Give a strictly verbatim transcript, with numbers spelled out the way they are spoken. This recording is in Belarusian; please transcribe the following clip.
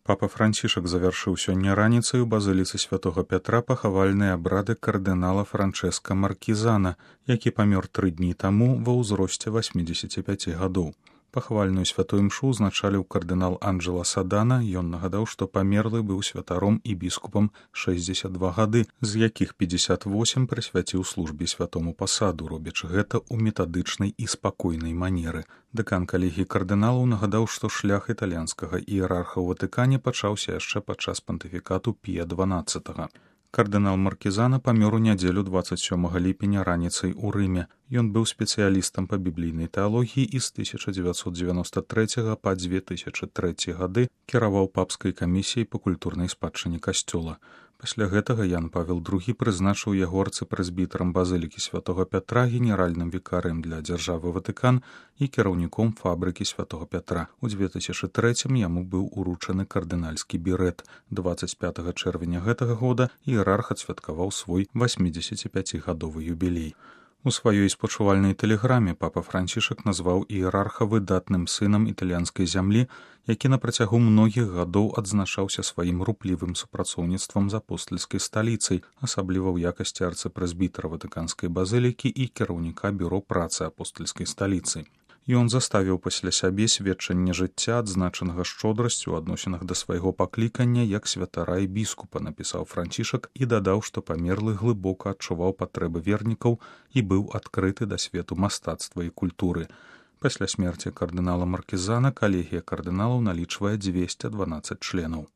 Папа Францішак завяршыў сёння раніцай у базыліцы святога Пятра пахавальныя абрады кардынала Франчэска Маркізана, які памёр тры дні таму ва ўзросце васьмідзесяці пяці гадоў. Пахавальную святую імшу узначаліў кардынал Анджела Садана. Ён нагадаў, што памерлы быў святаром і біскупам шэсцьдзесят два гады, з якіх пятьдесят восемь прысвяціў службе святому пасаду, робячы гэта ў метадычнай і спакойнай манеры. Дэкан калегіі кардыналаў нагадаў, што шлях італьянскага іерарха ў Ватыкане пачаўся яшчэ падчас пантыфікату Пія дванаццатага. Кардынал Маркізана памёр у нядзелю дваццаць сёмага ліпеня раніцай у Рыме. Ён быў спецыялістам па біблійнай тэалогіі і з тысяча дзевяцьсот дзевяноста трэцяга па дзве тысячы трэці гады кіраваў папскай камісіяй па культурнай спадчыне касцёла. Пасля гэтага Ян Павел другі прызначыў яго арцыпрэзбітарам базылікі святога Пятра, генеральным вікарыем для дзяржавы Ватыкан і кіраўніком фабрыкі святога Пятра. У дзве тысячы трэцім яму быў уручаны кардынальскі бірэт. дваццаць пятага чэрвеня гэтага года іерарх адсвяткаваў свой васьмідзесяціпяцігадовы юбілей. У сваёй спачувальнай тэлеграме папа Францішак назваў іерарха выдатным сынам італьянскай зямлі, які на працягу многіх гадоў адзначаўся сваім руплівым супрацоўніцтвам з апостальскай сталіцай, асабліва ў якасці арцыпрэзбітара Ватыканскай базылікі і кіраўніка бюро працы апостальскай сталіцы. Ён заставіў пасля сябе сведчанне жыцця, адзначанага шчодрасцю ў адносінах да свайго паклікання як святара і біскупа, напісаў Францішак і дадаў, што памерлы глыбока адчуваў патрэбы вернікаў і быў адкрыты да свету мастацтва і культуры. Пасля смерці кардынала Маркізана калегія кардыналаў налічвае дзвесце дванаццаць членаў.